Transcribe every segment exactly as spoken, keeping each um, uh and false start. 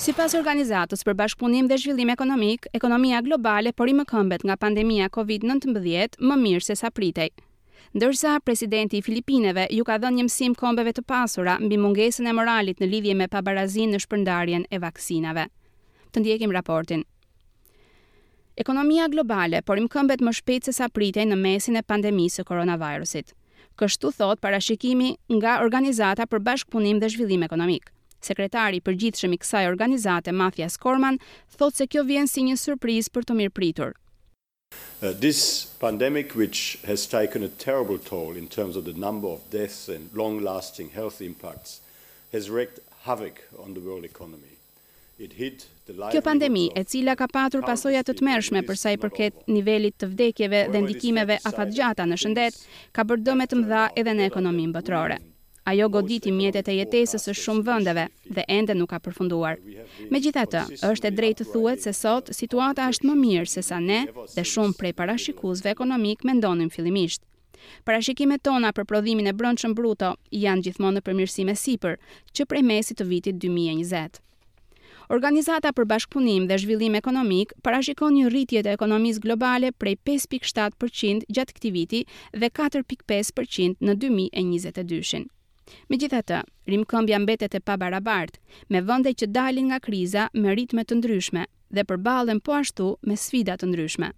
Sipas Organizatës për Bashkëpunim dhe Zhvillim Ekonomik, ekonomia globale po rimëkëmbet nga pandemia Covid nëntëmbëdhjetë më mirë se sa pritej. Ndërsa presidenti i Filipineve ju ka dhënë një mësim kombeve të pasura mbi mungesën e moralit në lidhje me pabarazinë në shpërndarjen e vaksinave. Të ndjekim raportin. Ekonomia globale po rimëkëmbet më shpejt se sa pritej në mesin e pandemisë së koronavirusit. Kështu thot parashikimi nga Organizata për Bashkëpunim dhe Zhvillim Ekonomik. Sekretari i përgjithshëm i kësaj organizate, Mathias Cormann, thotë se kjo vjen si një surprizë për të mirëpritur. Uh, this pandemic, which has taken a terrible toll in terms of the number of deaths and long-lasting health impacts, has wreaked havoc on the world economy. It hit the Kjo pandemi, e cila ka patur pasoja të tmerrshme për sa i përket nivelit të vdekjeve dhe ndikimeve afatgjata në shëndet, ka bërë dëme të mëdha edhe në ekonominë botërore. Ajo goditi mjetet e jetesës së shumë vendeve dhe ende nuk ka përfunduar. Megjithatë, është e drejtë të thuhet se sot situata është më mirë se sa ne dhe shumë prej parashikuesve ekonomik mendonin fillimisht. Parashikimet tona për prodhimin e brendshëm bruto janë gjithmonë në përmirësim e sipër, që prej mesit të vitit dy mijë e njëzet. Organizata për Bashkëpunim dhe Zhvillim Ekonomik parashikon një rritje të ekonomisë globale prej pesë pikë shtatë për qind gjatë këtij viti dhe katër pikë pesë për qind në dy mijë e njëzet e dyshin. Megjithatë, rimëkëmbja mbetet e pabarabartë, me vende që dalin nga kriza me ritme të ndryshme dhe përballen po ashtu me sfida të ndryshme.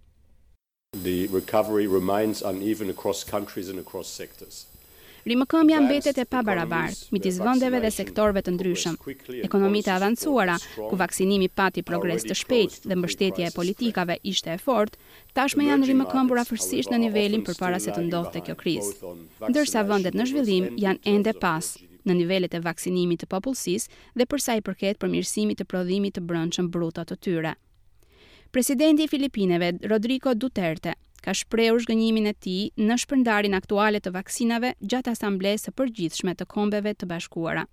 The recovery remains uneven across countries and across sectors. Rimëkëmbja mbetet e pabarabartë midis vendeve dhe sektorëve të ndryshëm. Ekonomitë e avancuara, ku vaksinimi pati progres të shpejtë dhe mbështetja e politikave ishte e fortë, tashmë janë rimëkëmbur afërsisht në nivelin përpara se të ndodhte kjo krizë. Ndërsa vendet në zhvillim janë ende pas në nivelet e vaksinimit të popullsisë dhe për sa i përket përmirësimit të prodhimit të brendshëm bruto të tyre. Presidenti i Filipineve, Rodrigo Duterte, ka shprehur zhgënjimin e tij në shpërndarjen aktuale të vaksinave gjatë Asamblesë së Përgjithshme të Kombeve të Bashkuara.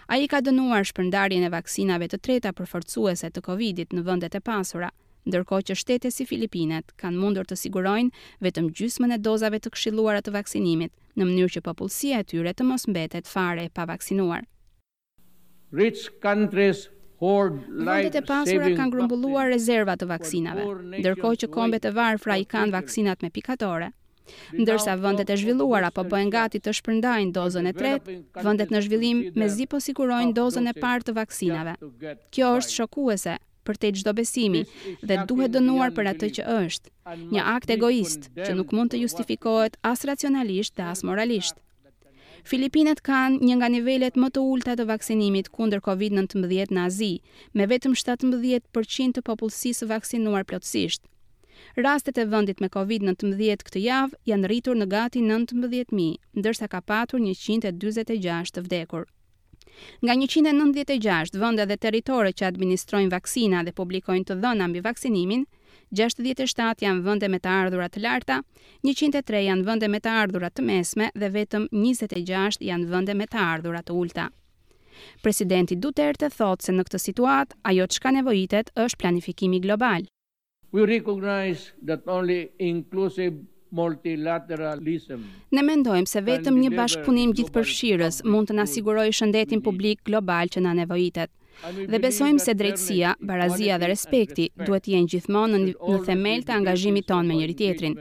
Ai ka dënuar shpërndarjen e vaksinave të treta përforcuese të Covidit në vendet e pasura, ndërkohë që shtete si Filipinet kanë mundur të sigurojnë vetëm gjysmën e dozave të këshilluara të vaksinimit, në mënyrë që popullsia e tyre të mos mbetet fare e pavaksinuar. Rich countries hoard Vendet e pasura kanë grumbulluar rezerva të vaksinave, ndërkohë që kombet e varfra i kanë vaksinat me pikatore. Ndërsa vendet e zhvilluara po bëhen gati të shpërndajnë dozën e tretë, vendet në zhvillim mezi po sigurojnë dozën e parë të vaksinave. Kjo është shokuese për te çdo besimi dhe duhet dënuar për atë që është, një akt egoist që nuk mund të justifikohet as racionalisht dhe as moralisht. Filipinet kanë një nga nivelet më të ulta të vaksinimit kundër Covid nëntëmbëdhjetë në Azi, me vetëm shtatëmbëdhjetë për qind të popullsisë vaksinuar plotësisht. Rastet e vendit me Covid nëntëmbëdhjetë këtë javë janë rritur në gati nëntëmbëdhjetë mijë, ndërsa ka patur njëqind e dyzet e gjashtë të vdekur. Nga njëqind e nëntëdhjetë e gjashtë vende dhe territore që administrojnë vaksina dhe publikojnë të dhëna mbi vaksinimin, gjashtëdhjetë e shtatë janë vende me të ardhura të larta, njëqind e tre janë vende me të ardhura të mesme dhe vetëm njëzet e gjashtë janë vende me të ardhura të ulta. Presidenti Duterte thotë se në këtë situatë ajo çka nevojitet është planifikimi global. We recognize that only inclusive multilateralism Ne mendojmë se vetëm një bashkëpunim gjithëpërfshirës mund të na sigurojë shëndetin publik global që na nevojitet. Dhe besojmë se drejtësia, barazia dhe respekti duhet të jenë gjithmonë në, në themel të angazhimit tonë me njëri tjetrin.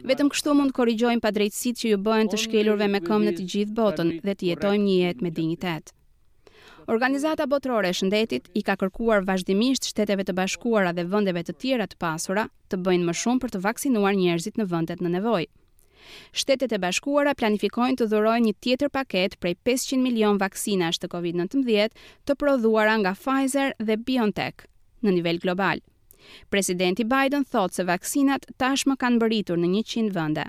Vetëm kështu mund të korrigjojmë padrejtësitë që ju bëhen të shkelurve me këmbë në të gjithë botën dhe të jetojmë një jetë me dinjitet. Organizata Botërore e Shëndetit i ka kërkuar vazhdimisht Shteteve të Bashkuara dhe vendeve të tjera të pasura të bëjnë më shumë për të vaksinuar njerëzit në vendet në nevojë. Shtetet e Bashkuara planifikojnë të dhurojnë një tjetër paket prej pesëqind milion vaksinash të Covid nëntëmbëdhjetë të prodhuara nga Pfizer dhe BioNTech në nivel global. Presidenti Biden thotë se vaksinat tashmë kanë mbërritur në njëqind vende.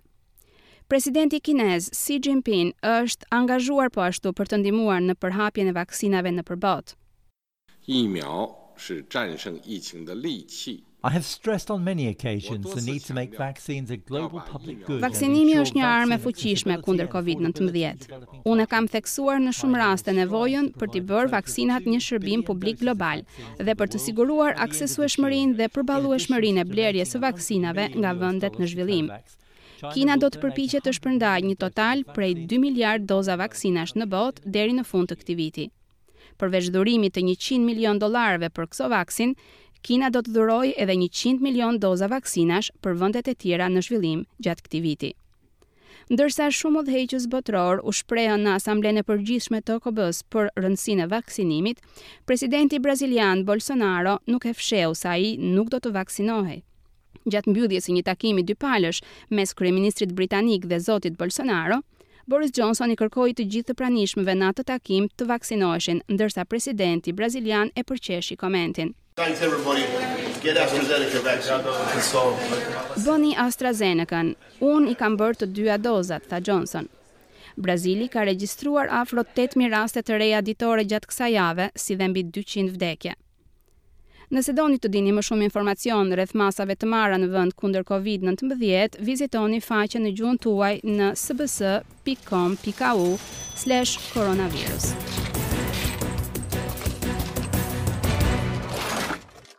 Presidenti kinez Xi Jinping është angazhuar po ashtu për të ndihmuar në përhapjen e vaksinave nëpër botë. 疫苗是战胜疫情的利器。 I have stressed on many occasions the need to make vaccines a global public good. Vaksinimi është një armë e fuqishme kundër Covid nëntëmbëdhjetë. Unë e kam theksuar në shumë raste nevojën për t'i bërë vaksinat një shërbim publik global dhe për të siguruar aksesueshmërinë dhe përballueshmërinë e blerjes së vaksinave nga vendet në zhvillim. Kina do të përpiqet të shpërndajë një total prej dy miliard doza vaksinash në botë deri në fund të këtij viti. Përveç dhurimit të njëqind milion dollarëve për Covaxin, Kina do të dhurojë edhe njëqind milion doza vaksinash për vendet e tjera në zhvillim gjatë këtij viti. Ndërsa shumë udhëheqës botëror u shprehën në Asamblenë e Përgjithshme të O K B-s për rëndësinë e vaksinimit, presidenti brazilian Bolsonaro nuk e fshehu se ai nuk do të vaksinohej. Gjatë mbylljes së një takimi dypalësh mes kryeministrit britanik dhe zotit Bolsonaro, Boris Johnson i kërkoi të gjithë të pranishmëve në atë takim të vaksinoheshin, ndërsa presidenti brazilian e përqeshi komentin. Thanks, everybody. Get AstraZeneca vaccine. "Bëni AstraZeneca-n. Unë i kam bërë të dyja dozat", tha Johnson. Brazili ka regjistruar afro tetë mijë raste të reja ditore gjatë kësaj jave, si dhe mbi dyqind vdekje. Nëse doni të dini më shumë informacion rreth masave të marra në vend kundër Covid nëntëmbëdhjetë, vizitoni faqen në gjuhën tuaj në S B S pikë com pikë A U slash coronavirus.